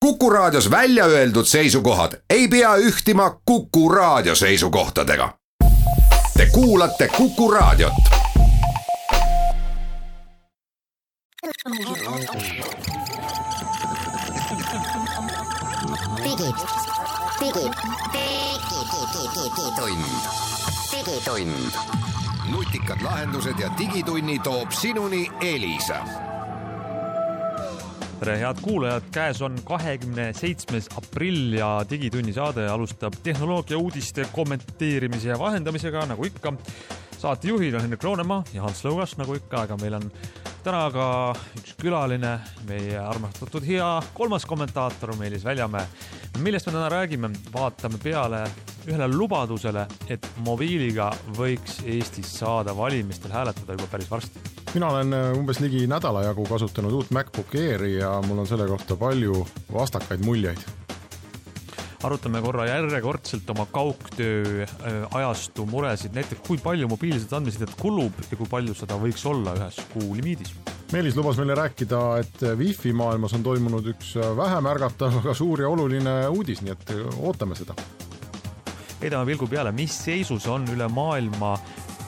Kuku Raadios välja öeldud seisukohad ei pea ühtima Kuku Raadio seisukohtadega. Te kuulate Kuku Raadiot. Digitund. Nutikad lahendused ja digitunni toob sinuni Elisa. Tere, head kuulajad, käes on 27. aprill ja Digitunni saade alustab tehnoloogia uudiste kommenteerimise ja vahendamisega, nagu ikka. Saatejuhid on Henrik Roonemaa ja Hans Lõugas, nagu ikka, aga meil on täna ka üks külaline, meie armastatud hea kolmas kommentaator Meelis Väljamäe. Millest me täna räägime? Vaatame peale ühele lubadusele, et mobiiliga võiks Eestis saada valimistel hääletada juba päris varsti. Mina olen umbes ligi nädala jagu kasutanud uut MacBook Airi ja mul on selle kohta palju vastakaid muljeid. Arutame korra järjekordselt oma kaugtöö ajastu muresid, näiteks kui palju mobiilset andmesidet kulub ja kui palju seda võiks olla ühes kuu limiidis. Meelis lubas meile rääkida, et Wi-Fi maailmas on toimunud üks vähem ärgatav, aga suur ja oluline uudis, nii et ootame seda. Heidame pilgu peale, mis seisus on üle maailma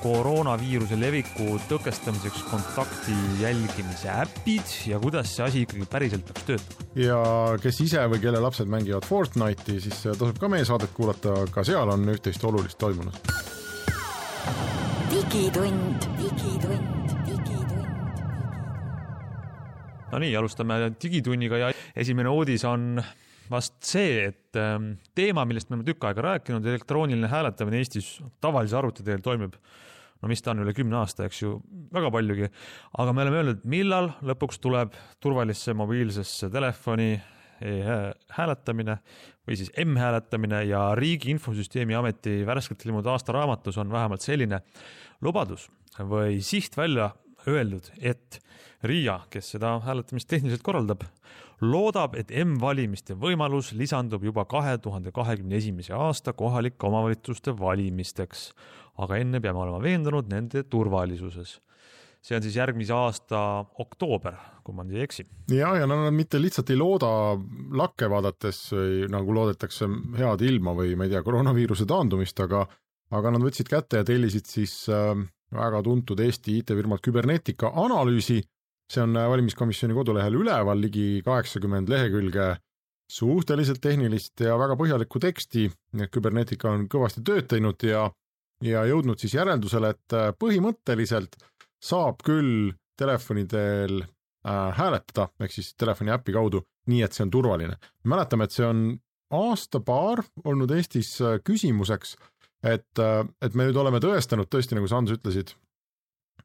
koroonaviiruse leviku tõkestamiseks kontakti jälgimise äpid ja kuidas see asi ikkagi päriselt peaks töötama. Ja kes ise või kelle lapsed mängivad Fortnite'i, siis tasub ka meie saadet kuulata, ka seal on üht-teist olulist toimunud. Digitund. No nii, alustame digitunniga ja esimene uudis on vast see, et teema, millest me oleme tükk aega rääkinud, elektrooniline hääletamine Eestis tavalise arvuti teel toimib. No mis ta on üle 10 aasta, eks ju, väga paljugi. Aga me oleme öelnud, millal lõpuks tuleb turvalisse mobiilsesse telefoni hääletamine või siis M-hääletamine ja Riigi Infosüsteemi Ameti värskelt ilmunud aastaraamatus on vähemalt selline lubadus või siht välja öeldud, et RIA, kes seda hääletamist tehniliselt korraldab, loodab, et M-valimiste võimalus lisandub juba 2021. aasta kohalike omavalitsuste valimisteks, aga enne peame olema veendunud nende turvalisuses. See on siis järgmise aasta oktoober, kui ma ei eksi. Ja nad mitte lihtsalt ei looda lakke vaadates, nagu loodetakse head ilma või ma ei tea, koroonaviiruse taandumist, aga nad võtsid kätte ja tellisid siis väga tuntud Eesti IT-firmalt Kybernetica analüüsi. See on valimiskomisjoni kodulehel üleval ligi 80 lehekülge suhteliselt tehnilist ja väga põhjalikku teksti. Kybernetica on kõvasti tööd teinud ja jõudnud siis järeldusele, et põhimõtteliselt saab küll telefonidel hääletada, ehk siis telefoni äpi kaudu, nii et see on turvaline. Mäletame, et see on aasta-paar olnud Eestis küsimuseks, et me nüüd oleme tõestanud, tõesti nagu sa Hans ütlesid,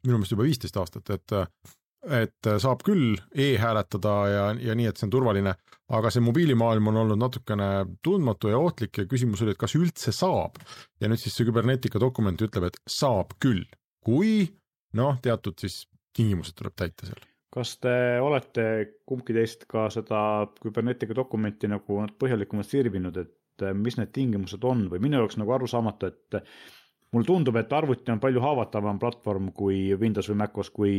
minu meelest juba 15 aastat, et saab küll e-hääletada ja nii, et see on turvaline, aga see mobiilimaailm on olnud natukene tundmatu ja ohtlik ja küsimus oli, et kas üldse saab. Ja nüüd siis see Kybernetica dokument ütleb, et saab küll, kui teatud siis tingimused tuleb täita seal. Kas te olete kumbki teist ka seda Kybernetica dokumenti nagu põhjalikumalt sirvinud, et mis need tingimused on või minu jaoks nagu arusaamatu, et mul tundub, et arvuti on palju haavatavam platvorm kui Windows või MacOS kui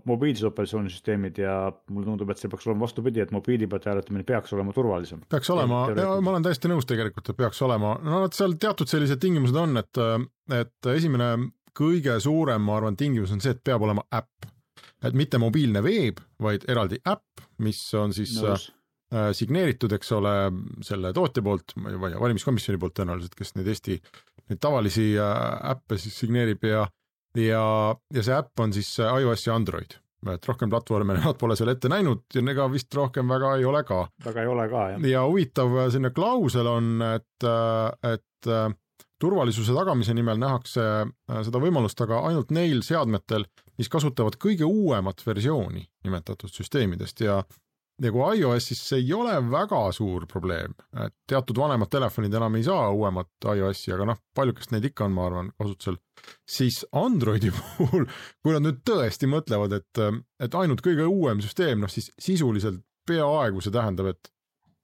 mobiilsed operatsioonisüsteemid ja mul tundub, et see peaks olema vastupidi, et mobiili pealt hääletamine peaks olema turvalisem. Peaks olema, ma olen täiesti nõus tegelikult, et peaks olema. Seal teatud sellised tingimused on, et esimene kõige suurem, ma arvan, tingimus on see, et peab olema äpp. Et mitte mobiilne veeb, vaid eraldi äpp, mis on siis signeeritud, eks ole, selle tootja poolt, valimiskomisjoni poolt tõenäoliselt, kes neid tavalisi äppe siis signeerib ja see äpp on siis iOS ja Android. Et rohkem platvorme nad pole seal ette näinud ja ega vist rohkem väga ei ole ka. Väga ei ole ka, jah. Ja huvitav sinna klausel on, et turvalisuse tagamise nimel nähakse seda võimalust aga ainult neil seadmetel, mis kasutavad kõige uuemat versiooni nimetatud süsteemidest ja kui iOS-is see ei ole väga suur probleem, et teatud vanemad telefonid enam ei saa uuemat iOS-i, aga paljukest neid ikka on, ma arvan, kasutusel, siis Androidi puhul, kui nad nüüd tõesti mõtlevad, et ainult kõige uuem süsteem, siis sisuliselt peaaegu see tähendab, et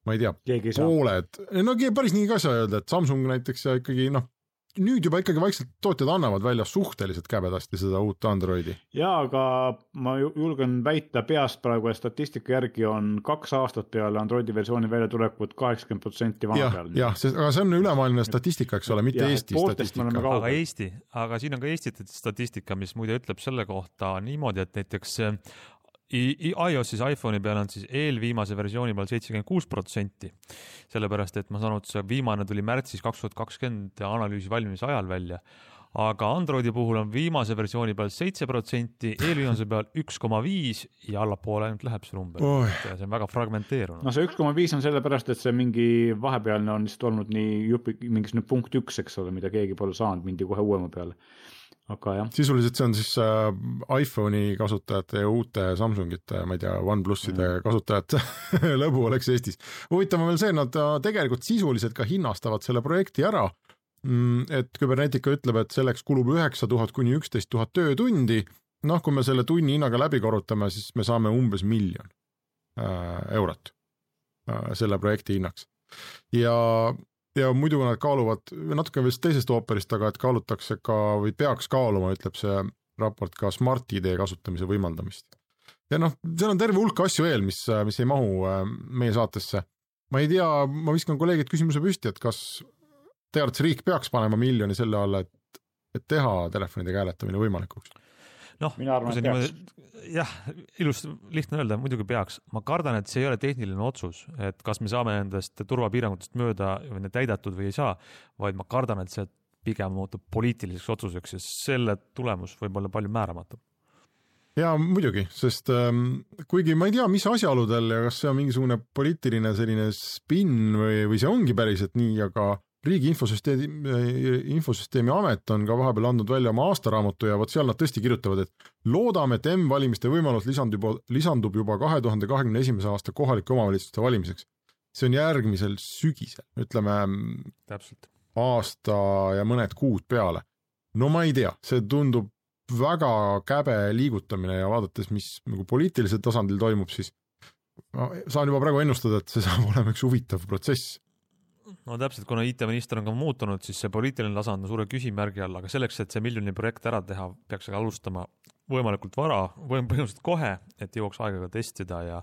ma ei tea, pooled, päris nii ka saa öelda, et Samsung näiteks ja ikkagi nüüd juba ikkagi vaikselt tootjad annavad välja suhteliselt käbedasti seda uut Androidi. Jaa, aga ma julgen väita peast praegu, et statistika järgi on 2 aastat peale Androidi versiooni välja tulekut 80% vana peal. Jah, aga see on ülemaailmne statistika, eks ole, mitte Eesti statistika. Aga siin on ka Eesti statistika, mis muide ütleb selle kohta niimoodi, et näiteks iOS-is iPhone'i peal on siis eelviimase versiooni peal 76%, sellepärast et ma saan aru, et see viimane tuli märtsis 2020 analüüsi valmimise ajal välja, aga Androidi puhul on viimase versiooni peal 7%, eelviimase peal 1,5 ja allapoole ainult läheb see number. See on väga fragmenteerunud. No see 1,5 on sellepärast, et see mingi vahepealne on lihtsalt olnud nii mingisugune punkt 1, eks ole, mida keegi pole saanud, mindi kohe uuema peale. Aga jah. Sisuliselt see on siis iPhone'i kasutajate ja uute Samsungite, ma ei tea, OnePluside kasutajate lõbu oleks Eestis. Huvitav on veel see, nad tegelikult sisuliselt ka hinnastavad selle projekti ära, et Kybernetica ütleb, et selleks kulub 9000 kuni 11 000 töötundi. Noh, kui me selle tunni hinnaga läbi korrutame, siis me saame umbes 1 miljon eurot selle projekti hinnaks. Ja muidu nad kaaluvad, natuke vist teisest ooperist, aga et kaalutakse ka või peaks kaaluma, ütleb see raport, ka Smart ID kasutamise võimaldamist. Ja noh, seal on terve hulk asju veel, mis ei mahu meie saatesse. Ma ei tea, ma viskan kolleegid küsimuse püsti, et kas teades riik peaks panema 1 miljoni selle alla, et teha telefonidega hääletamine võimalikuks? Noh, jah, ilus lihtne öelda, muidugi peaks. Ma kardan, et see ei ole tehniline otsus, et kas me saame endast turvapiirangutest mööda või need täidatud või ei saa, vaid ma kardan, et see pigem muutub poliitiliseks otsuseks ja selle tulemus võib olla palju määramatu. Ja muidugi, sest kuigi ma ei tea, mis asjaoludel ja kas see on mingisugune poliitiline selline spin või see ongi päriselt nii, aga Riigi infosüsteemi amet on ka vahepeal andnud välja oma aastaraamatu ja seal nad tõesti kirjutavad, et loodame, et M-valimiste võimalus lisandub juba 2021. aasta kohalike omavalitsuste valimiseks. See on järgmisel sügisel, ütleme täpselt aasta ja mõned kuud peale. No ma ei tea, see tundub väga käbe liigutamine ja vaadates, mis nagu poliitilisel tasandil toimub, siis saan juba praegu ennustada, et see saab olema üks huvitav protsess. No täpselt, kuna IT-minister on ka muutunud, siis see poliitiline tasand on suure küsimärgi all, aga selleks, et see 1 miljoni projekt ära teha, peaks alustama võimalikult vara, põhimõtteliselt kohe, et jõuaks aega testida ja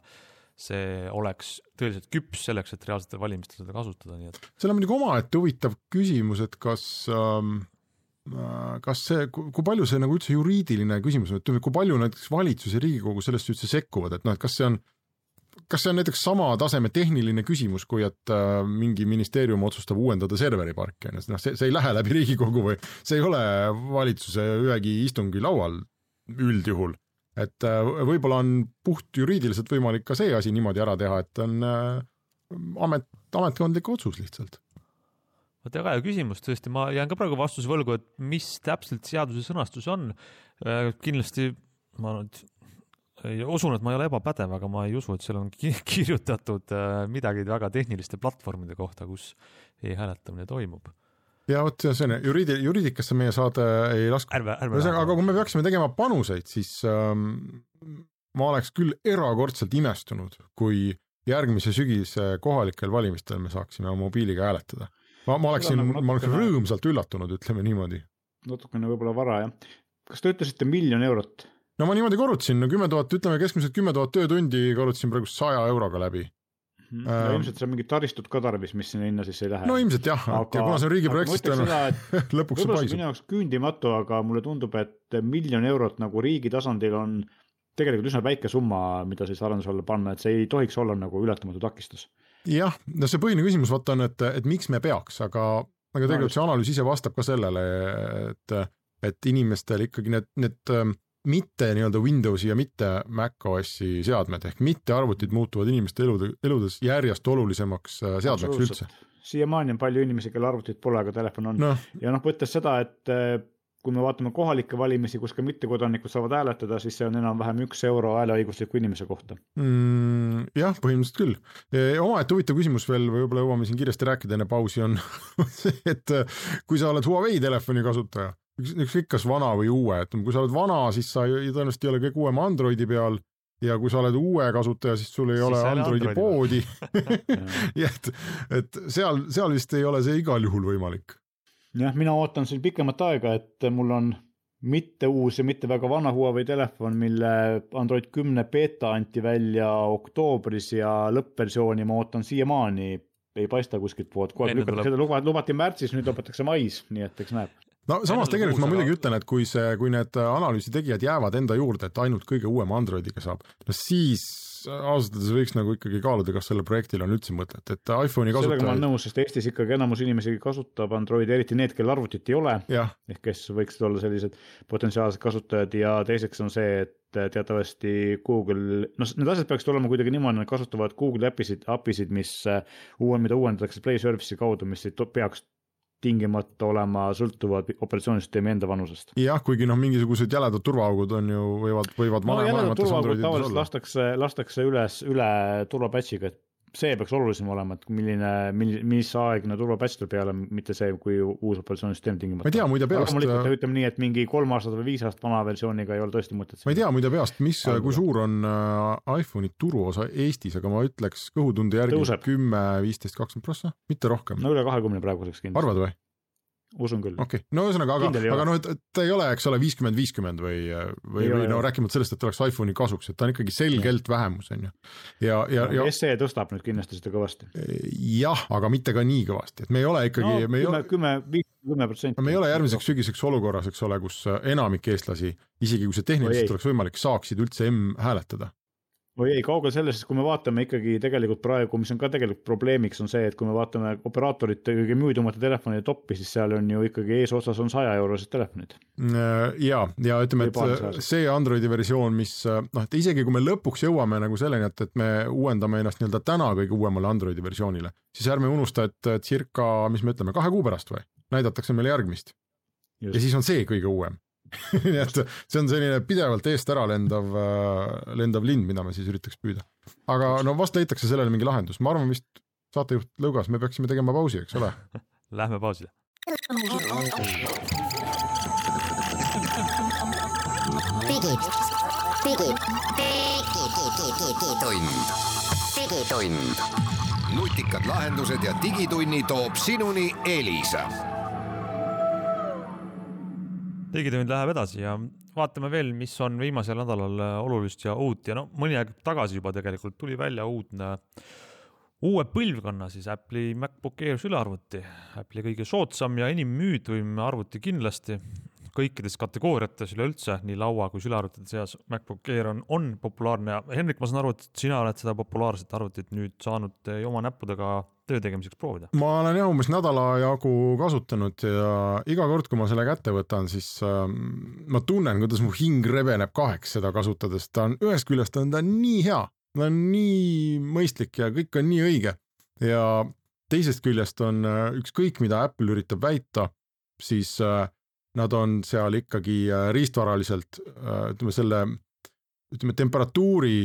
see oleks tõeliselt küps selleks, et reaalsetel valimistel seda kasutada. Nii et... Seal on muidugi omaette huvitav küsimus, et kas see, kui palju see nagu üldse juriidiline küsimus on, et kui palju näiteks valitsus ja Riigikogu sellest üldse sekkuvad, et noh, et kas see on näiteks sama taseme tehniline küsimus, kui et mingi ministeerium otsustab uuendada serveriparki, see ei lähe läbi Riigikogu või see ei ole valitsuse ühegi istungi laual üldjuhul, et võib-olla on puht juriidiliselt võimalik ka see asi niimoodi ära teha, et on ametkondlik otsus lihtsalt. Väga hea küsimus, tõesti, ma jään ka praegu vastuse võlgu, et mis täpselt seaduse sõnastus on, kindlasti ma usun, et ma ei ole ebapädev, aga ma ei usu, et seal on kirjutatud midagi väga tehniliste platvormide kohta, kus e-hääletamine toimub. Ja vot see on, juriidikasse meie saade ei lasku. Aga kui me peaksime tegema panuseid, siis ma oleks küll erakordselt imestunud, kui järgmise sügise kohalikel valimistel me saaksime mobiiliga hääletada. Ma oleksin rõõmsalt üllatunud, ütleme niimoodi. Natukene võib-olla vara, jah. Kas te ütlesite 1 miljon eurot? No ma niimoodi korrutasin, 10 000, ütleme keskmiselt 10 000 töötundi korrutasin praegu 100 euroga läbi. Ilmselt see on mingi taristut ka tarvis, mis sinna hinna siis ei lähe. No ilmselt jah, ja kuna see on riigi projekt, lõpuks see paisub. Minu jaoks küündimatu, aga mulle tundub, et 1 miljon eurot nagu riigi tasandil on tegelikult üsna väike summa, mida siis arenduse alla panna, et see ei tohiks olla nagu ületamatu takistus. Jah, no see põhine küsimus vaata on, et miks me peaks, aga tegelikult see analüüs ise vastab ka sellele, et inimestel ikkagi need mitte nii-öelda Windowsi ja mitte macOSi seadmed, ehk mitte arvutid muutuvad inimeste eludes järjest olulisemaks seadmeks üldse. Siiamaani on palju inimesi, kelle arvutid pole, aga telefon on. Ja võttes seda, et kui me vaatame kohalikke valimisi, kus ka mittekodanikud saavad hääletada, siis see on enam-vähem 1 euro hääleõigusliku inimese kohta. Jah, põhimõtteliselt küll. Omaette huvitav küsimus veel, võib-olla jõuame siin kiiresti rääkida enne pausi on see, et kui sa oled Huawei telefoni kasutaja, ükskõik kas vana või uue, et kui sa oled vana, siis sa tõenäoliselt ei ole kõik uuema Androidi peal ja kui sa oled uue kasutaja, siis sul ei ole Androidi poodi. et seal vist ei ole see igal juhul võimalik. jah, mina ootan siin pikemat aega, et mul on mitte uus ja mitte väga vana Huawei telefon, mille Android 10 beta anti välja oktoobris ja lõppversiooni ma ootan siiamaani, ei paista kuskilt poolt, kogu aeg lükatakse, seda lubati märtsis, nüüd lõpetatakse mais, nii et eks näeb. No samas tegelikult ma muidugi ütlen, et kui need analüüsi tegijad jäävad enda juurde, et ainult kõige uuem Androidiga saab, no siis ausalt võiks nagu ikkagi kaaluda, kas selle projektil on üldse mõtet, et iPhone'i kasutajaid... Sellega ma olen nõus, sest Eestis ikkagi enamus inimesi kasutab Androidi, eriti need, kel arvutit ei ole, ehk kes võiksid olla sellised potentsiaalsed kasutajad ja teiseks on see, et teatavasti Google, need asjad peaksid olema kuidagi niimoodi, nad kasutavad Google appisid, mida uuendatakse Play Service'i kaudu, mis ei peaks tingimata olema sõltuvad operatsioonisüsteemi enda vanusest. Jah, kuigi mingisugused jäledad turvaaugud on ju võivad jäledad turvaaugud tavaliselt lastakse üle turvapatchiga, et see peaks olulisem olema, et mis aegne turvapatch tuleb peale, mitte see, kui uus operatsioonisüsteem tingimata. Ma ei tea muide peast... ütleme nii, et mingi 3 aastat või 5 aastat vana versiooniga ei ole tõesti mõtet. Ma ei tea muide peast, kui suur on iPhone'i turuosa Eestis, aga ma ütleks kõhutunde järgi 10, 15, 20%, mitte rohkem. No üle 20 praeguseks kindlasti. Arvad või? Usun küll. Okei, no ühesõnaga, aga ta ei ole, eks ole, 50-50 või rääkimata sellest, et oleks iPhone'i kasuks, et ta on ikkagi selgelt vähemus, on ju. Ja SE tõstab nüüd kindlasti seda kõvasti. Jah, aga mitte ka nii kõvasti, et me ei ole ikkagi... 10%. Me ei ole järgmiseks sügiseks olukorras, eks ole, kus enamik eestlasi, isegi kui see tehniliselt oleks võimalik, saaksid üldse hääletada. Või ei, kaugel sellest, kui me vaatame ikkagi tegelikult praegu, mis on ka tegelikult probleemiks, on see, et kui me vaatame operaatorite kõige müüdumate telefonide toppi, siis seal on ju ikkagi eesotsas on 100 eurosed telefonid. Ja ütleme, et see Androidi versioon, mis, et isegi kui me lõpuks jõuame nagu selleni, et me uuendame ennast nii-öelda täna kõige uuemale Androidi versioonile, siis ärme unusta, et circa, mis me ütleme, 2 kuu pärast või, näidatakse meile järgmist. Just. Ja siis on see kõige uuem. Nii et see on selline pidevalt eest ära lendav lind, mida me siis üritaks püüda. Aga vast leitakse sellele mingi lahendus. Ma arvan vist saatejuht Lõugas, me peaksime tegema pausi, eks ole? Lähme pausile. Digitund. Nutikad lahendused ja digitunni toob sinuni Elisa. Digitund läheb edasi ja vaatame veel, mis on viimasel nädalal olulist ja uut ja mõni aeg tagasi juba tegelikult tuli välja uue põlvkonna siis Apple'i MacBook Air sülearvuti. Apple'i kõige soodsam ja enim müüdvim arvuti kindlasti kõikides kategooriates üleüldse, nii laua kui sülearvutite seas MacBook Air on populaarne ja Henrik, ma saan aru, et sina oled seda populaarset arvutit nüüd saanud oma näppudega töö tegemiseks proovida. Ma olen umbes nädala jagu kasutanud ja iga kord, kui ma selle kätte võtan, siis ma tunnen, kuidas mu hing rebeneb 2 seda kasutades. Ta on ühest küljest on ta nii hea, ta on nii mõistlik ja kõik on nii õige. Ja teisest küljest on ükskõik, mida Apple üritab väita, siis nad on seal ikkagi riistvaraliselt, ütleme temperatuuri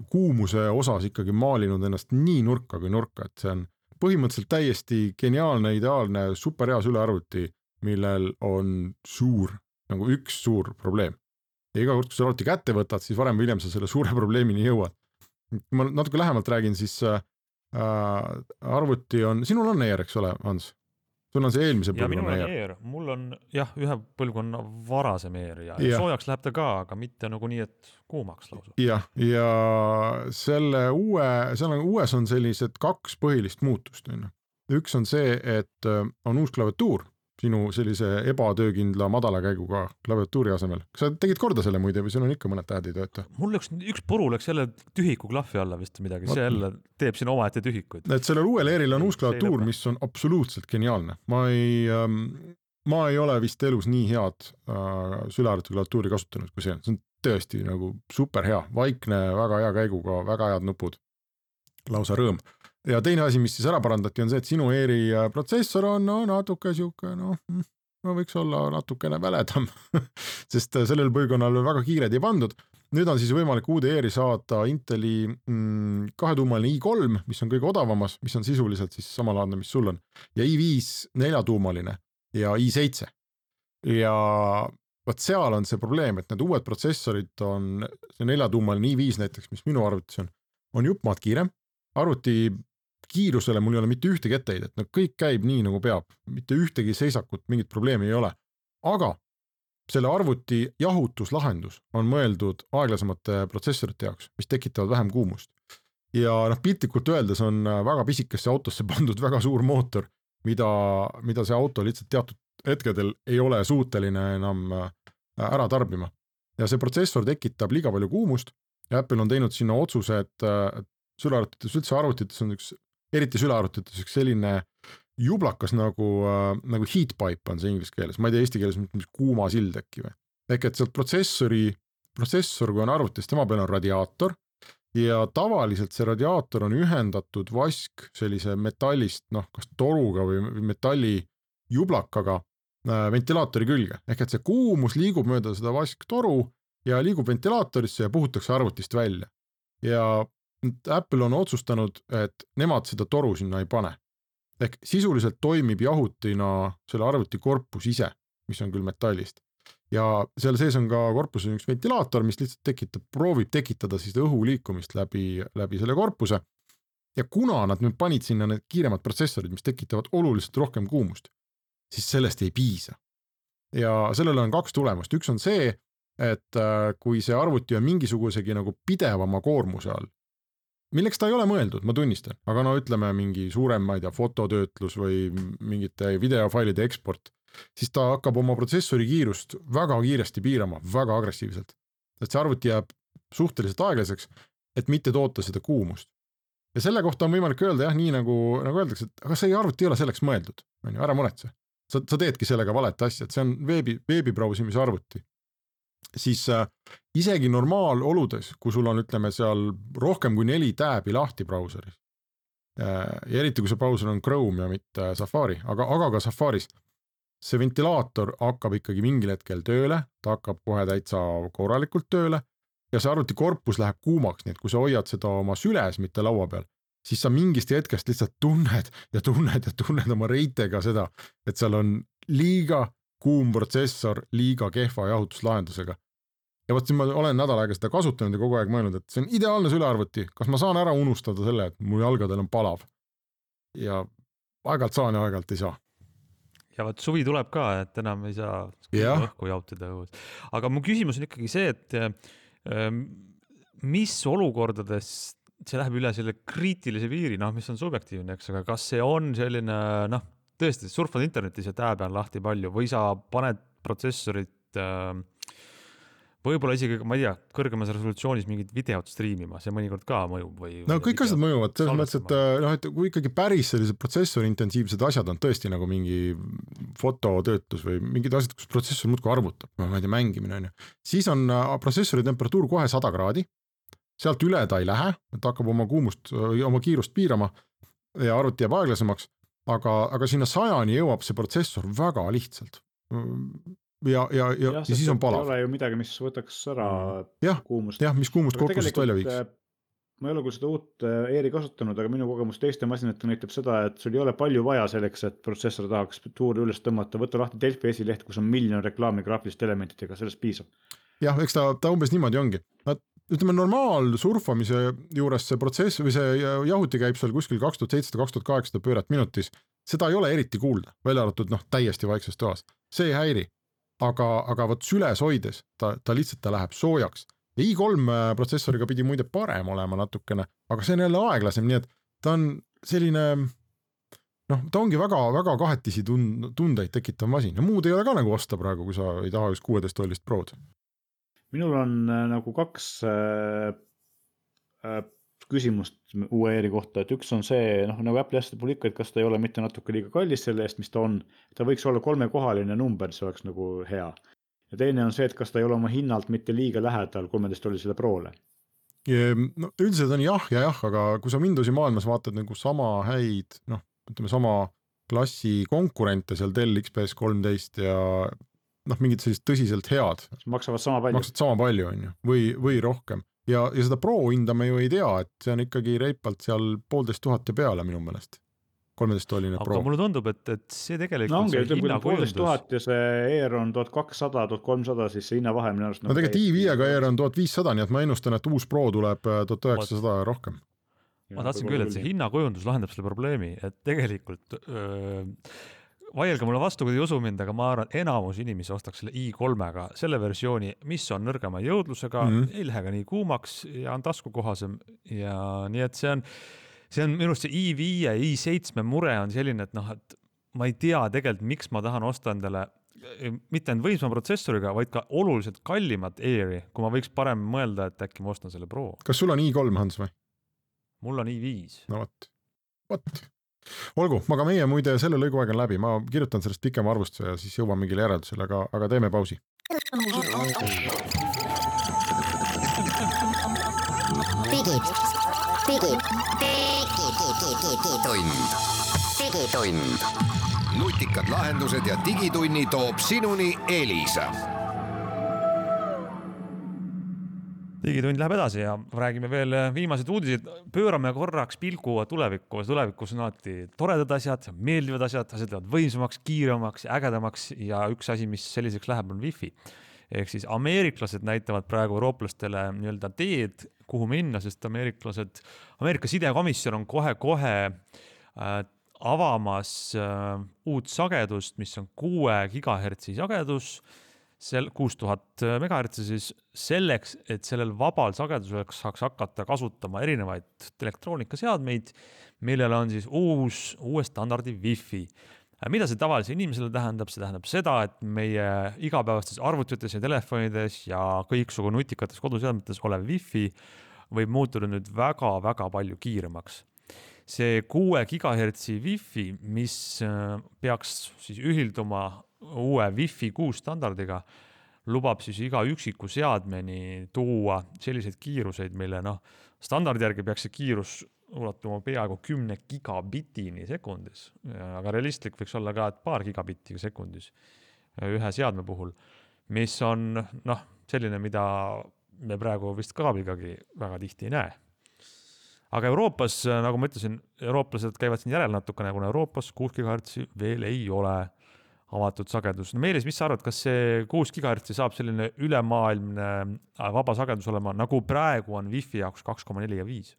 kuumuse osas ikkagi maalinud ennast nii nurka kui nurka, et see on põhimõtteliselt täiesti geniaalne, ideaalne, superhea sülearvuti, millel on nagu üks suur probleem. Ja iga kord, kui sa arvuti kätte võtad, siis varem või hiljem sa selle suure probleemini jõuad. Kui ma natuke lähemalt räägin, siis arvuti on, sinul on Air, eks ole, Hans? Sul on see eelmise põlvkonna Air. Mul on ühe põlvkonna varasem Air ja soojaks läheb ta ka, aga mitte nagu nii, et kuumaks lausa. Ja selle uues on sellised 2 põhilist muutust. Üks on see, et on uus klaviatuur, sinu sellise ebatöökindla madala käiguga klaviatuuri asemel. Kas sa tegid korda selle muide või sul on ikka mõned tähed ei tööta? Mul üks puru läks jälle tühiku klahvi alla vist midagi, see jälle teeb siin omaette tühikuid. Et sellel uuel Airil on uus klaviatuur, mis on absoluutselt geniaalne. Ma ei ole vist elus nii head sülearvuti klaviatuuri kasutanud kui see. See on tõesti nagu super hea, vaikne, väga hea käiguga, väga head nupud, lausa rõõm. Ja teine asi, mis siis ära parandati, on see, et sinu Airi protsessor on natuke siuke, võiks olla natukene väledam, sest sellel põlvkonnal väga kiired ei pandud. Nüüd on siis võimalik uude Airi saada Inteli 2-tuumaline i3, mis on kõige odavamas, mis on sisuliselt siis samalaadne, mis sul on, ja i5 4-tuumaline ja i7. Ja võt seal on see probleem, et need uued protsessorid on, see 4-tuumaline i5 näiteks, mis minu arvutis on juppmaad kiirem, arvuti kiirusele mul ei ole mitte ühtegi etteheidet, no kõik käib nii nagu peab, mitte ühtegi seisakut, mingit probleemi ei ole. Aga selle arvuti jahutuslahendus on mõeldud aeglasemate protsessorite jaoks, mis tekitavad vähem kuumust. Ja piltlikult öeldes on väga pisikesse autosse pandud väga suur mootor, mida see auto lihtsalt teatud hetkedel ei ole suuteline enam ära tarbima. Ja see protsessor tekitab liiga palju kuumust ja Apple on teinud sinna otsuse, et sülearvutites, üldse arvutites on eriti sülearvutites üks selline jublakas nagu heat pipe on see inglise keeles, ma ei tea eesti keeles mis kuuma sild äkki või. Ehk et sealt protsessor, kui on arvutis, tema peal on radiaator ja tavaliselt see radiaator on ühendatud vask sellise metallist, kas toruga või metalli jublakaga ventilaatori külge. Ehk et see kuumus liigub mööda seda vasktoru ja liigub ventilaatorisse ja puhutakse arvutist välja. Ja Apple on otsustanud, et nemad seda toru sinna ei pane. Ehk sisuliselt toimib jahutina selle arvuti korpus ise, mis on küll metallist. Ja seal sees on ka korpuses üks ventilaator, mis lihtsalt proovib tekitada siis õhu liikumist läbi selle korpuse. Ja kuna nad nüüd panid sinna need kiiremad protsessorid, mis tekitavad oluliselt rohkem kuumust, siis sellest ei piisa. Ja sellele on 2 tulemust. Üks on see, et kui see arvuti on mingisugusegi nagu pidevama koormuse all, milleks ta ei ole mõeldud, ma tunnistan, aga ütleme mingi suurem, ma ei tea, fototöötlus või mingite videofailide eksport, siis ta hakkab oma protsessori kiirust väga kiiresti piirama, väga agressiivselt. Et see arvuti jääb suhteliselt aeglaseks, et mitte toota seda kuumust. Ja selle kohta on võimalik öelda jah, nii nagu öeldakse, et aga see arvuti ei ole selleks mõeldud, ära muretse. Sa teedki sellega valet asja, et see on veebibrausimise arvuti. Siis isegi normaaloludes, kui sul on, ütleme, seal rohkem kui 4 tääbi lahti brauseris, ja eriti kui see brauser on Chrome ja mitte Safari, aga ka Safaris, see ventilaator hakkab ikkagi mingil hetkel tööle, ta hakkab kohe täitsa korralikult tööle ja see arvuti korpus läheb kuumaks, nii et kui sa hoiad seda oma süles, mitte laua peal, siis sa mingist hetkest lihtsalt tunned oma reitega seda, et seal on liiga kuum protsessor, liiga kehva jahutuslahendusega. Ja võt siin ma olen nädal aega seda kasutanud ja kogu aeg mõelnud, et see on ideaalne sülearvuti, kas ma saan ära unustada selle, et mu jalgadel on palav. Ja aegalt saan ja aegalt ei saa. Ja võt suvi tuleb ka, et enam ei saa õhku jautida. Aga mu küsimus on ikkagi see, et mis olukordades see läheb üle selle kriitilise piiri, mis on subjektiivne, eks, aga kas see on selline, tõesti, surfad internetis ja tääb on lahti palju või sa paned protsessorit võib-olla isegi, ma ei tea, kõrgemas resolutsioonis mingit videot striimima, see mõnikord ka mõjub või... No kõik asjad mõjuvad, selles mõttes, et kui ikkagi päris sellised protsessori intensiivsed asjad on tõesti nagu mingi fototöötlus või mingid asjad, kus protsessor muudkui arvutab, ma ei tea, mängimine on ju, siis on protsessori temperatuur kohe 100 kraadi, sealt üle ta ei lähe, et hakkab oma kiirust piirama ja arvuti jääb aeglasemaks, aga sinna 100-ni jõuab see protsessor väga lihtsalt. Ja siis on palav. Ei ole ju midagi, mis võtaks ära kuumust. Jah, mis kuumust korpusest välja viiks. Ma ei ole küll seda uut ERi kasutanud, aga minu kogemus teiste masinate näitab seda, et sul ei ole palju vaja selleks, et protsessor tahaks tuuri üles tõmmata, võtta lahti Delfi esileht, kus on miljon reklaami graafiliste elementidega, sellest piisab. Jah, eks ta umbes niimoodi ongi. Ütleme, normaal surfamise juures see protsess või see jahuti käib seal kuskil 2700-2800 pööret minutis. Seda ei ole eriti kuulda, välja arvatud täiesti vaikses toas. See ei häiri, aga võt süles hoides, ta lihtsalt läheb soojaks. Ja i3 protsessoriga pidi muide parem olema natukene, aga see on jälle aeglasem, nii et ta on selline, ta ongi väga kahetisi tundeid tekitav masin ja muud ei ole ka nagu osta praegu, kui sa ei taha just 16-tollist Prod. Minul on nagu 2 küsimust uue ERi kohta, et üks on see, nagu Apple asjade puhul ikka, et kas ta ei ole mitte natuke liiga kallis selle eest, mis ta on, ta võiks olla 3-kohaline number, see oleks nagu hea. Ja teine on see, et kas ta ei ole oma hinnalt mitte liiga lähedal 13-tollisele Prole. Üldiselt on jah, aga kui sa Windowsi maailmas vaatad nagu sama häid, ütleme sama klassi konkurente seal Dell XPS 13 ja mingid sellised tõsiselt head. Maksavad sama palju on ju, või rohkem. Ja seda Pro hinda me ju ei tea, et see on ikkagi reipalt seal 1500 ja peale minu meelest. 13-tolline Pro. Aga mulle tundub, et see tegelikult see hinnakujundus. 1500 ja see ER on 1200, 1300, siis see hinnavahe minu arust. Tegelikult i5-ga ER on 1500, nii et ma ennustan, et uus Pro tuleb 1900 rohkem. Ma tahtsin küll, et see hinnakujundus lahendab selle probleemi, et tegelikult vaielge mulle vastu, kui te ei usu mind, aga ma arvan, et enamus inimesi ostaks selle i3-ga selle versiooni, mis on nõrgema jõudlusega, ei lähe ka nii kuumaks ja on taskukohasem ja nii, et see on minu arust see i5 ja i7 mure on selline, et et ma ei tea tegelikult, miks ma tahan osta endale mitte ainult võimsama protsessoriga, vaid ka oluliselt kallimat Airi, kui ma võiks parem mõelda, et äkki ma ostan selle Pro. Kas sul on i3, Hans, või? Mul on i5. No võt. Olgu, aga meie muide selle lõigu aeg on läbi, ma kirjutan sellest pikema arvustuse ja siis jõuan mingile järeldusele, aga teeme pausi. Digitund. Nutikad lahendused ja digitunni toob sinuni Elisa. Digitund läheb edasi ja räägime veel viimased uudised. Pöörame korraks pilgu tulevikku. Tulevikus on alati toredad asjad, meeldivad asjad lähevad võimsamaks, kiiremaks, ägedamaks ja üks asi, mis selliseks läheb, on Wi-Fi. Ehk siis ameeriklased näitavad praegu eurooplastele nii-öelda teed, kuhu minna, sest Ameerika sidekomisjon on kohe avamas uut sagedust, mis on 6 GHz sagedus, 6000 MHz siis selleks, et sellel vabal sagedusel saaks hakata kasutama erinevaid elektroonikaseadmeid, millel on siis uue standardi Wi-Fi. Mida see tavalise inimesele tähendab? See tähendab seda, et meie igapäevastes arvutites ja telefonides ja kõiksugu nutikates koduseadmetes olev Wi-Fi võib muutuda nüüd väga-väga palju kiiremaks. See 6 GHz Wi-Fi, mis peaks siis ühilduma uue Wi-Fi 6 standardiga, lubab siis iga üksiku seadmeni tuua selliseid kiiruseid, mille standardi järgi peaks see kiirus ulatuma peaaegu 10 gigabitini sekundis, aga realistlik võiks olla ka, et paar gigabitti sekundis ühe seadme puhul, mis on selline, mida me praegu vist kaabligagi väga tihti ei näe. Aga Euroopas, nagu ma ütlesin, eurooplased käivad siin järel natukene, kuna Euroopas 6 GHz veel ei ole avatud sagedus. Meelis, mis sa arvad, kas see 6 GHz saab selline ülemaailmne vaba sagedus olema, nagu praegu on Wi-Fi jaoks 2,4 ja 5?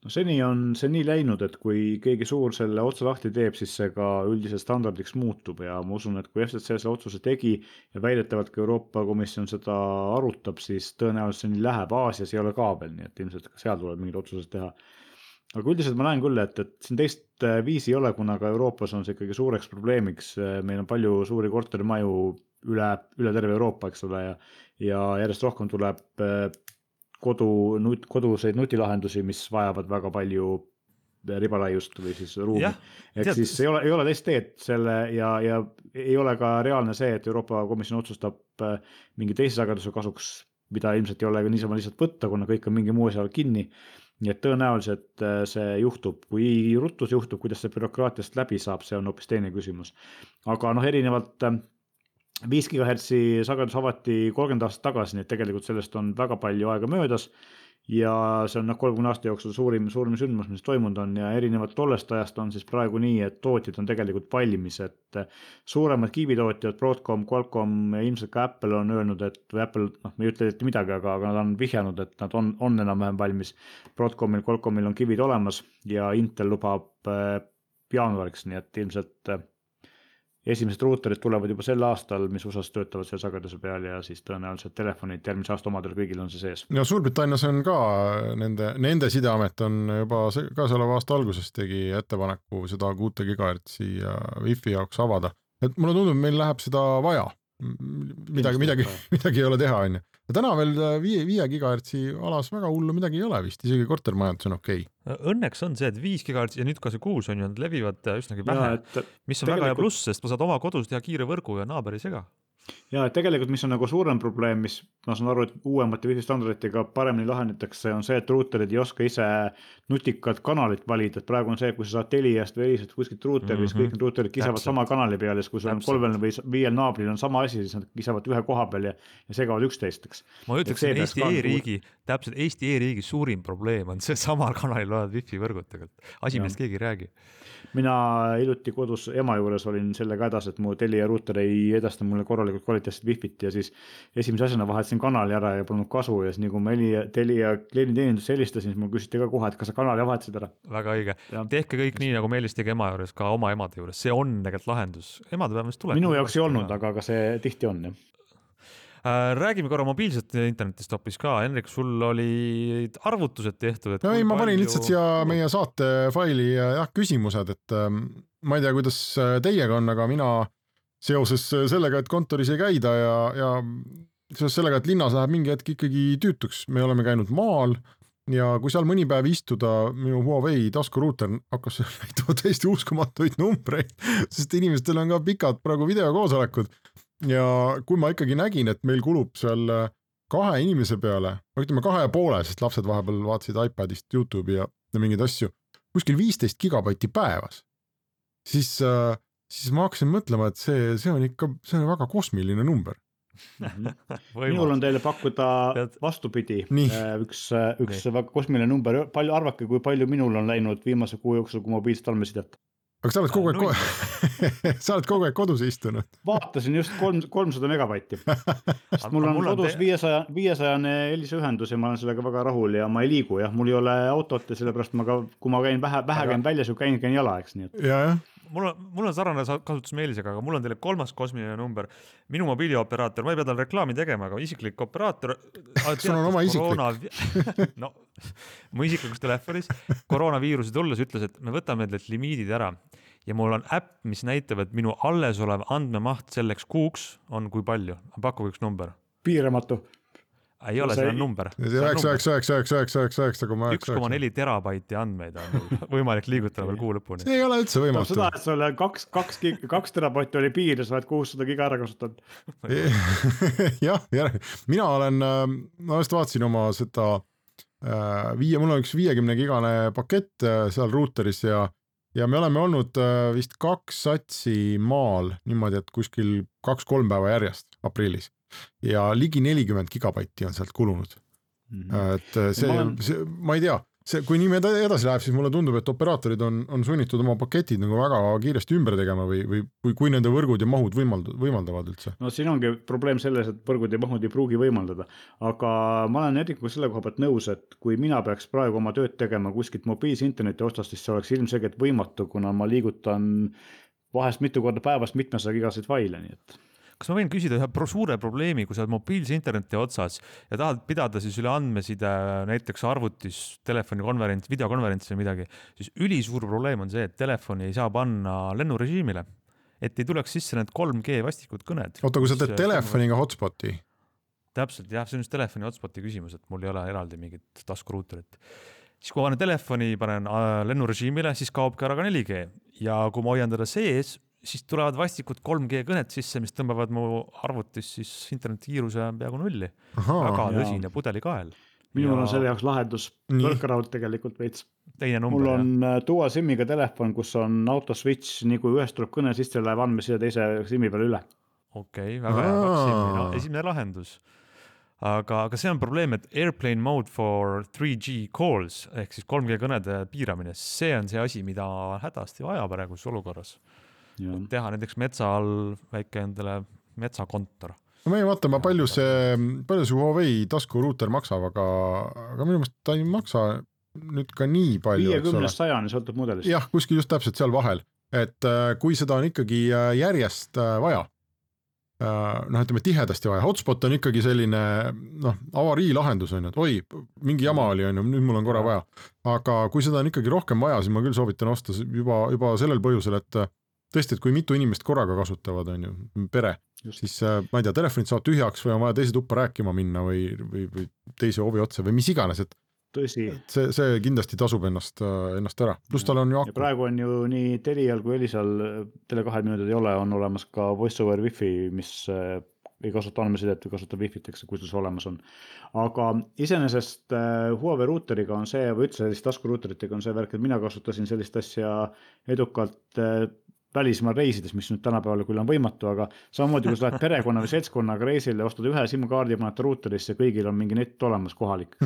No seni on see nii läinud, et kui keegi suur selle otsa lahti teeb, siis see ka üldiselt standardiks muutub ja ma usun, et kui FCC selle otsuse tegi ja väidetavalt ka Euroopa Komisjon seda arutab, siis tõenäoliselt see nii läheb. Aasias ei ole kaabel, nii et ilmselt ka seal tuleb mingid otsused teha. Aga üldiselt ma näen küll, et siin teist viisi ei ole, kuna ka Euroopas on see ikkagi suureks probleemiks. Meil on palju suuri korterimaju üle terve Euroopa, eks ole, ja järjest rohkem tuleb koduseid nutilahendusi, mis vajavad väga palju ribalaiust või siis ruumi. Ehk siis ei ole teist teed selle ja ei ole ka reaalne see, et Euroopa Komisjon otsustab mingi teise sageduse kasuks, mida ilmselt ei ole niisama lihtsalt võtta, kuna kõik on mingi muu seal kinni. Nii et tõenäoliselt see juhtub, kui ruttus juhtub, kuidas see bürokraatiast läbi saab, see on hoopis teine küsimus. Aga erinevalt 5 GHz sagedus avati 30 aastat tagasi, nii et tegelikult sellest on väga palju aega möödas ja see on 30 aasta jooksul suurim sündmus, mis toimunud on ja erinevalt tollest ajast on siis praegu nii, et tootjad on tegelikult valmis, et suuremad kiibitootjad, Broadcom, Qualcomm ja ilmselt ka Apple on öelnud, et Apple, me ei ütle midagi, aga nad on vihjanud, et nad on enam-vähem valmis. Broadcomil, Qualcommil on kivid olemas ja Intel lubab jaanuariks, nii et ilmselt esimesed ruuterid tulevad juba sel aastal, mis USA-s töötavad selle sageduse peal ja siis tõenäoliselt telefonid järgmise aasta omadel kõigil on see sees. Ja Suurbritannias on ka nende sideamet on juba käesoleva aasta alguses tegi ettepaneku seda 6 GHz ja Wi-Fi jaoks avada. Et mulle tundub, meil läheb seda vaja. Midagi ei ole teha, on ju. Ja täna veel 5 GHz alas väga hullu midagi ei ole vist, isegi kortermajandus on okei. Õnneks on see, et 5 GHz ja nüüd ka see 6 on ju, nad levivad üsnagi vähe, mis on väga hea pluss, sest ma saad oma kodus teha kiire võrgu ja naaber ei sega. Ja tegelikult, mis on suurem probleem, mis ma saan aru, et uuemate Wi-Fi standarditega paremini lahendatakse, on see, et ruuterid ei oska ise nutikad kanalit valida, et praegu on see, kui sa saad Teliast või Elisat kuskilt ruuteri, siis kõik need ruuterid kisavad sama kanali peal ja kui sul on 3 või 5 naabril on sama asi, siis nad kisavad ühe koha peal ja segavad üksteisteks. Ma ütleks, et täpselt Eesti e-riigi suurim probleem on see samal kanalil olevad Wi-Fi võrgud tegelikult. Asi, millest keegi ei räägi. Mina hiljuti kodus ema juures olin sellega hädas, et mu Telia ruuter ei edasta mulle korralikult võimalikult kvaliteetset Wi-Fit ja siis esimese asjana vahetasin kanali ära ja polnud kasu ja siis nii kui ma Telia klienditeenindusse helistasin, siis mul küsiti ka kohe, et kas sa kanali vahetasid ära. Väga õige. Tehke kõik nii, nagu Meelis tegi ema juures, ka oma emade juures. See on tegelikult lahendus. Emade päevast tuleb. Minu jaoks ei olnud, aga see tihti on, jah. Räägime korra mobiilset internetist hoopis ka. Henrik, sul olid arvutused tehtud. Et ma panin lihtsalt siia meie saate faili küsimused, et ma ei tea, kuidas teiega on, aga mina seoses sellega, et kontoris ei käida ja seoses sellega, et linnas läheb mingi hetk ikkagi tüütuks. Me oleme käinud maal ja kui seal mõni päev istuda, minu Huawei taskuruuter hakkas näitama täiesti uskumatuid numbreid, sest inimestel on ka pikad praegu videokoosolekud. Ja kui ma ikkagi nägin, et meil kulub seal 2 inimese peale, ütleme 2,5, sest lapsed vahepeal vaatasid iPadist YouTube'i ja mingeid asju, kuskil 15 gigabaiti päevas, siis ma hakkasin mõtlema, et see on ikka väga kosmiline number. Minul on teile pakkuda vastupidi. Üks väga kosmiline number. Arvake, kui palju minul on läinud viimase kuu jooksul, kui mobiilset andmesidet. Aga sa oled kogu aeg kodus istunud. Vaatasin just 300 megabaiti. Sest mul on kodus 500 heliseühendus ja ma olen sellega väga rahul ja ma ei liigu. Ja mul ei ole autot ja sellepärast kui ma käin vähe käin väljas, kui käin jala, eks nii. Mul on sarnane kasutus Meelisega, aga mul on teile 3. kosmiline number. Minu mobiilioperaator, ma ei pea tal reklaami tegema, aga isiklik operaator. Sul on oma isiklik. No, mu isiklikus telefonis koroonaviiruse tulles ütles, et me võtame need limiidid ära. Ja mul on äpp, mis näitab, et minu alles olev andmemaht selleks kuuks on kui palju. Pakkuge üks number. Piiramatu. Ei ole, see on number. 1,4 terabaiti andmeid on võimalik liigutada veel kuu lõpuni. See ei ole üldse võimatu. Seda, et sulle 2 terabaiti oli piir ja sa oled 600 giga ära kasutanud. Jah, mina just vaatasin oma seda mul on üks 50 gigane pakett seal ruuteris ja me oleme olnud vist 2 satsi maal niimoodi, et kuskil 2-3 päeva järjest aprillis. Ja ligi 40 gigabaiti on sealt kulunud. Et ma ei tea, kui nii edasi läheb, siis mulle tundub, et operaatorid on sunnitud oma paketid nagu väga kiiresti ümber tegema või kui nende võrgud ja mahud võimaldavad üldse. No siin ongi probleem selles, et võrgud ja mahud ei pruugi võimaldada, aga ma olen Erikuga selle koha pealt nõus, et kui mina peaks praegu oma tööd tegema kuskilt mobiilse interneti otsast, siis see oleks ilmselgelt võimatu, kuna ma liigutan vahest mitu korda päevast 700 gigasid faile, nii et kas ma võin küsida ühe suure probleemi, kui sa oled mobiilse interneti otsas ja tahad pidada siis üle andmeside näiteks arvutis, telefonikonverents, videokonverents või midagi, siis ülisuur probleem on see, et telefoni ei saa panna lennurežiimile, et ei tuleks sisse need 3G vastikud kõned. Oota, kui sa teed telefoniga hotspoti? Täpselt, jah, see on just telefoni hotspoti küsimus, et mul ei ole eraldi mingit taskuruuterit. Siis kui ma telefoni panen lennurežiimile, siis kaob ka ära ka 4G ja kui ma hoian teda sees, siis tulevad vastikud 3G kõned sisse, mis tõmbavad mu arvutis siis internetikiiruse peaaegu 0. Väga tõsine pudelikael. Minul on selle jaoks lahendus võrkaraud tegelikult veits. Teine number, mul on dual SIM-iga telefon, kus on auto switch, nii kui ühest tuleb kõne, siis teil läheb andmeside teise SIM-i peale üle. Okei, väga hea, 2 SIM-i. No, esimene lahendus. Aga see on probleem, et airplane mode for 3G calls ehk siis 3G kõnede piiramine, see on see asi, mida hädasti vaja praeguses olukorras. Teha näiteks metsa all väike endale metsakontor. No ma ei vaata, palju see Huawei taskuruuter maksab, aga minu meelest ta ei maksa nüüd ka nii palju. 50-100 sõltub mudelist. Jah, kuskil just täpselt seal vahel, et kui seda on ikkagi järjest vaja, ütleme tihedasti vaja, hotspot on ikkagi selline avarii lahendus on, et oi, mingi jama oli on, nüüd mul on korra vaja, aga kui seda on ikkagi rohkem vaja, siis ma küll soovitan osta juba sellel põhjusel, et tõesti, et kui mitu inimest korraga kasutavad, on ju, pere, siis ma ei tea, telefonid saavad tühjaks või on vaja teise tuppa rääkima minna või teise hoovi otsa või mis iganes, et tõsi. See kindlasti tasub ennast ära. Plus tal on ju ja praegu on ju nii Telial kui Elisal, Tele2 minutid ei ole, on olemas ka voice over wifi, mis ei kasuta andmesidet või kasutab wifi't, eks, kui see olemas on. Aga iseenesest Huawei ruuteriga on see, või üldse sellist taskuruuteritega on see värk, et mina kasutasin sellist asja edukalt välismaal reisides, mis nüüd tänapäeval küll on võimatu, aga samamoodi, kui sa lähed perekonna või seltskonnaga reisile, ostad ühe SIM-kaardi ja panete ruuterisse, kõigil on mingi net olemas kohalik.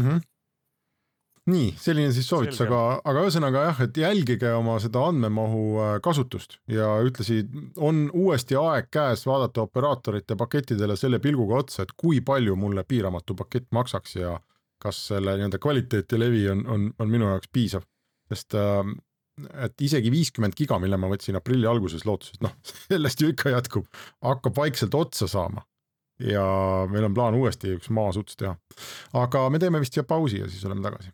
nii, selline siis soovitus, aga ühesõnaga jah, et jälgige oma seda andmemahu kasutust ja ütlesid, on uuesti aeg käes vaadata operaatorite pakettidele selle pilguga otsa, et kui palju mulle piiramatu pakett maksaks ja kas selle nii-öelda kvaliteet ja levi on minu jaoks piisav, sest et isegi 50 giga, mille ma võtsin aprilli alguses lootuses, sellest ju ikka jätkub, hakkab vaikselt otsa saama ja meil on plaan uuesti üks maasuts teha, aga me teeme vist siia pausi ja siis oleme tagasi.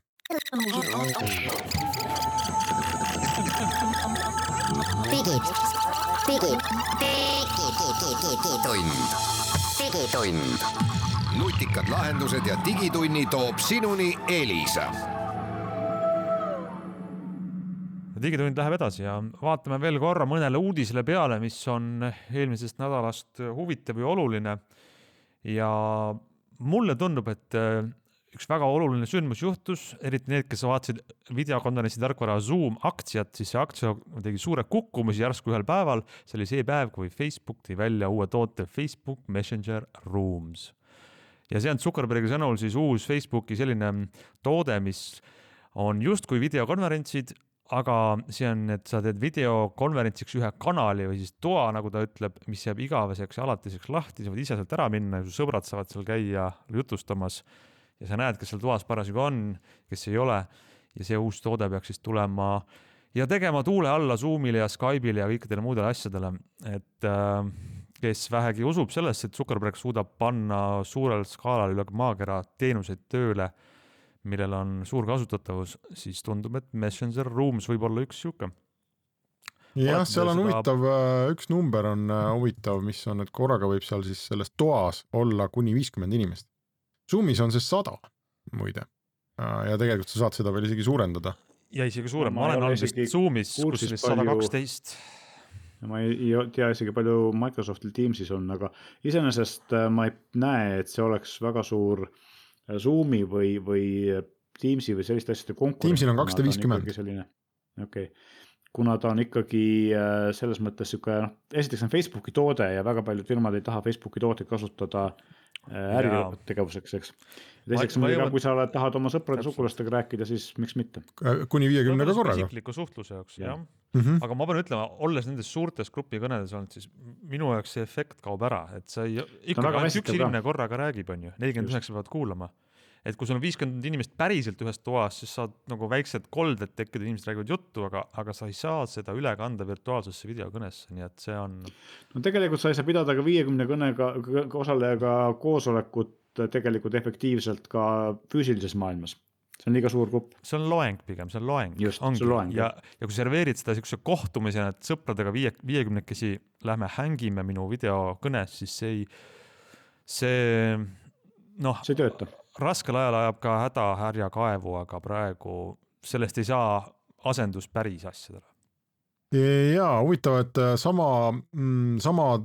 Digitund. Nutikad lahendused ja digitunni toob sinuni Elisa. Digitund läheb edasi ja vaatame veel korra mõnele uudisele peale, mis on eelmisest nädalast huvitav ja oluline. Ja mulle tundub, et üks väga oluline sündmus juhtus, eriti need, kes vaatasid videokonverentsi tarkvara Zoom aktsiat, siis see aktsia tegi suure kukkumisi järsku ühel päeval. See oli see päev, kui Facebook tõi välja uue toote Facebook Messenger Rooms. Ja see on Zuckerbergi sõnul siis uus Facebooki selline toode, mis on just kui videokonverentsid, aga see on, et sa teed videokonverentsiks ühe kanali või siis toa, nagu ta ütleb, mis jääb igaveseks ja alatiseks lahti, sa võid ise sealt ära minna ja su sõbrad saavad seal käia jutustamas ja sa näed, kes seal toas parasjagu on, kes ei ole ja see uus toode peaks siis tulema ja tegema tuule alla Zoomile ja Skype'ile ja kõikidele muudele asjadele, et kes vähegi usub sellesse, et Zuckerberg suudab panna suurel skaalal üle maakera teenuseid tööle, millel on suur kasutatavus, siis tundub, et Messenger Rooms võib olla üks siuke. Jah, seal on huvitav, üks number on huvitav, mis on, et korraga võib seal siis selles toas olla kuni 50 inimest. Zoomis on see 100, muide. Ja tegelikult sa saad seda veel isegi suurendada. Ja isegi suurem. Ma olen olnud Zoomis, kus oli 112. Ma ei tea isegi palju Microsoftil Teamsis on, aga iseenesest ma ei näe, et see oleks väga suur Zoomi või Teamsi või selliste asjade konkurents. Teamsil on 250. Okay. Kuna ta on ikkagi selles mõttes esiteks on Facebooki toode ja väga paljud firmad ei taha Facebooki tooteid kasutada äritegevuseks, eks. Teiseks, kui sa tahad oma sõprade sukulastega rääkida, siis miks mitte? Kuni 50 korraga. Isikliku suhtluse jaoks, jah. Aga ma pean ütlema, olles nendes suurtes grupi kõnedes olnud, siis minu jaoks see efekt kaob ära, et sa ikka üks inimene korraga räägib, on ju, 49 peavad kuulama. Et kui sul on 50 inimest päriselt ühes toas, siis saad nagu väiksed kolded tekkida, inimesed räägivad juttu, aga sa ei saa seda üle kanda virtuaalsesse videokõnesse, nii et see on... No tegelikult sa ei saa pidada ka 50 kõnega osalejaga koosolekut tegelikult efektiivselt ka füüsilises maailmas. See on liiga suur grupp. See on loeng pigem, see on loeng. Just, see on loeng. Ja kui serveerid seda siukse kohtumisena, et sõpradega 50-kesi lähme hängime minu videokõnes, siis see see tööta. Raskel ajal ajab ka hädahärja kaevu, aga praegu sellest ei saa asendus päris asjadele. Jaa, huvitav, et sama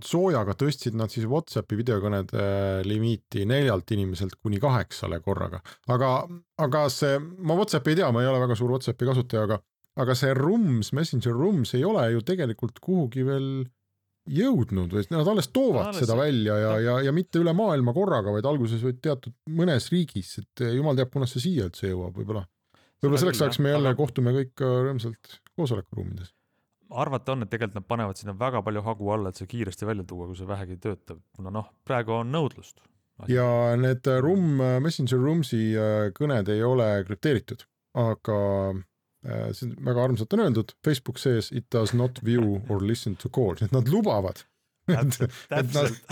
soojaga tõstsid nad siis WhatsAppi videokõnede limiiti 4 inimeselt kuni 8 korraga. Aga see, ma WhatsAppi ei tea, ma ei ole väga suur WhatsAppi kasutaja, aga see Rooms, Messenger Rooms ei ole ju tegelikult kuhugi veel jõudnud, või nad alles toovad seda välja ja mitte üle maailma korraga, vaid alguses võid teatud mõnes riigis, et jumal teab, kunas see siia üldse jõuab, võib-olla selleks ajaks me jälle kohtume kõik rõõmsalt koosolekuruumides. Arvata on, et tegelikult nad panevad sinna väga palju hagu alla, et see kiiresti välja tuua, kui see vähegi töötab. Praegu on nõudlust. Ja need Messenger Roomsi kõned ei ole krüpteeritud, aga see väga armsalt on öeldud, Facebook says it does not view or listen to calls, et nad lubavad, et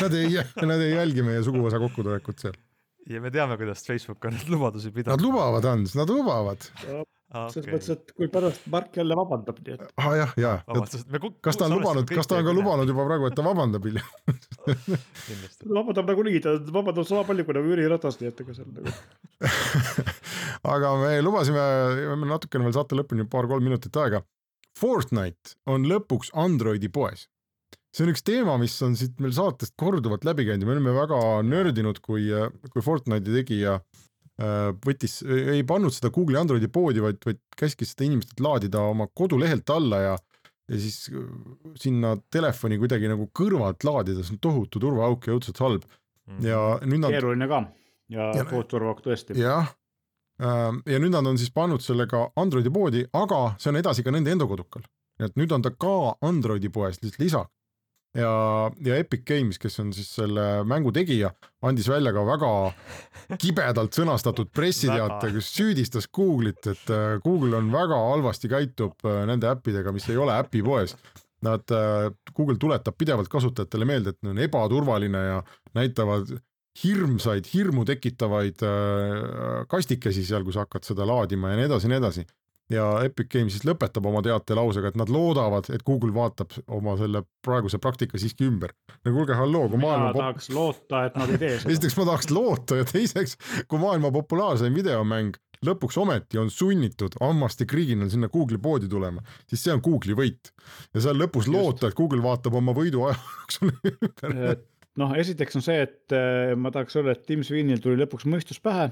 nad ei jälgi meie suguvõsa kokkutulekut seal. Ja me teame, kuidas Facebook on lubadusi pidanud. Nad lubavad, Hans, nad lubavad. Selles mõttes, et kui pärast Mark jälle vabandab. Jah. Kas ta on ka lubanud juba praegu, et ta vabandab hiljem? Vabandab nagu nii, ta vabandab sama palju, kui nagu Jüri Ratas, nii et ega seal nagu. Aga me lubasime natukene veel saate lõpuni 2-3 minutit aega. Fortnite on lõpuks Androidi poes. See on üks teema, mis on siit meil saatest korduvalt läbi käinud. Me oleme väga nördinud, kui Fortnite'i tegija ei pannud seda Google'i Androidi poodi, vaid käskis seda inimestelt laadida oma kodulehelt alla ja siis sinna telefoni kuidagi nagu kõrvalt laadida, see on tohutu turvaauk ja õudselt halb. Ja nüüd keeruline ka ja turvauk tõesti. Jah, ja nüüd nad on siis pannud sellega Androidi poodi, aga see on edasi ka nende enda kodukal. Et nüüd on ta ka Androidi poes lisa. Ja Epic Games, kes on siis selle mängu tegija, andis välja ka väga kibedalt sõnastatud pressiteate, kus süüdistas Google'it, et Google on väga halvasti käitub nende äppidega, mis ei ole äpi poes. Google tuletab pidevalt kasutajatele meelde, et on ebaturvaline ja näitavad hirmu tekitavaid kastikesi seal, kui sa hakkad seda laadima ja nii edasi. Ja Epic Games siis lõpetab oma teate lausega, et nad loodavad, et Google vaatab oma selle praeguse praktika siiski ümber. Ja kuulge, halloo, kui maailma tahaks loota, et nad ei tee seda. Esiteks ma tahaks loota ja teiseks, kui maailma populaarseim videomäng lõpuks ometi on sunnitud ammasti kriginal sinna Google'i poodi tulema, siis see on Google'i võit. Ja seal lõpus loota, et Google vaatab oma võidu ajaks ümber. Esiteks on see, et ma tahaks öelda, et Tim Sweeney'l tuli lõpuks mõistus pähe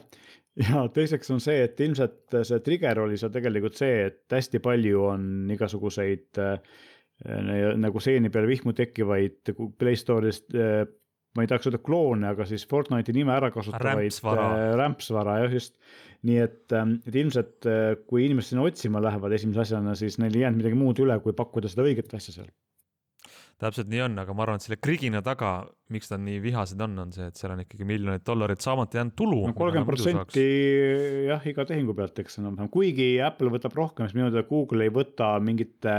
ja teiseks on see, et ilmselt see trigger oli see tegelikult see, et hästi palju on igasuguseid nagu seeni peale vihmu tekkivaid Play Store'ist, ma ei tahaks öelda kloone, aga siis Fortnite'i nime ära kasutavaid rämpsvara, just. Nii et ilmselt kui inimesed sinna otsima lähevad esimese asjana, siis neil ei jäänud midagi muud üle, kui pakkuda seda õiget asja seal. Täpselt nii on, aga ma arvan, et selle krigina taga, miks ta nii vihased on see, et seal on ikkagi miljonid $, saamata jäänud tulu. 30% jah, iga tehingu pealt, eks enam. Kuigi Apple võtab rohkem, siis minu teada Google ei võta mingite,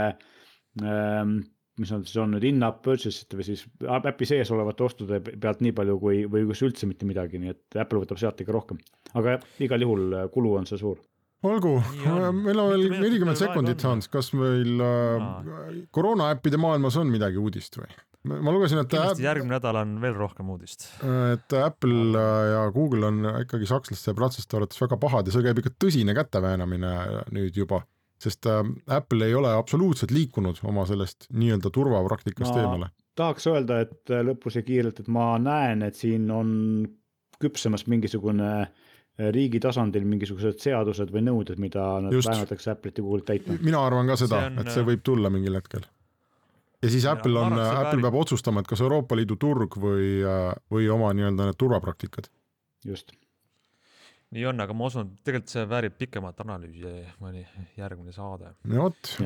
mis on nüüd in-app purchase'ite või siis äpi sees olevate ostude pealt nii palju või kus üldse mitte midagi, nii et Apple võtab sealt ikka rohkem. Aga igal juhul kulu on see suur. Olgu, meil on veel 40 sekundit, Hans, kas meil koroonaäppide maailmas on midagi uudist või? Ma lugesin, et järgmine nädal on veel rohkem uudist. Et Apple ja Google on ikkagi sakslaste ja prantslaste arvates väga pahad ja see käib ikka tõsine käteväänamine nüüd juba, sest Apple ei ole absoluutselt liikunud oma sellest nii-öelda turvapraktikast eemale. Tahaks öelda, et lõpus ja kiirelt, et ma näen, et siin on küpsemas mingisugune riigi tasandil mingisugused seadused või nõuded, mida nad väänatakse Apple'it ja Google'it täitma. Mina arvan ka seda, et see võib tulla mingil hetkel. Ja siis Apple peab otsustama, et kas Euroopa Liidu turg või oma nii-öelda need turvapraktikad. Just. Nii on, aga ma usun, et tegelikult see väärib pikemat analüüsi mõni järgmine saade.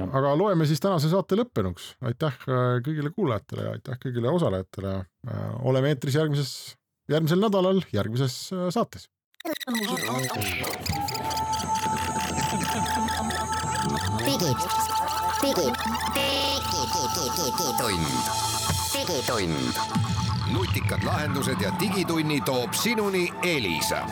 Aga loeme siis tänase saate lõppenuks. Aitäh kõigile kuulajatele ja aitäh kõigile osalejatele. Oleme eetris järgmisel nädalal järgmises saates. Digitund. Nutikad lahendused ja digitunni toob sinuni Elisa.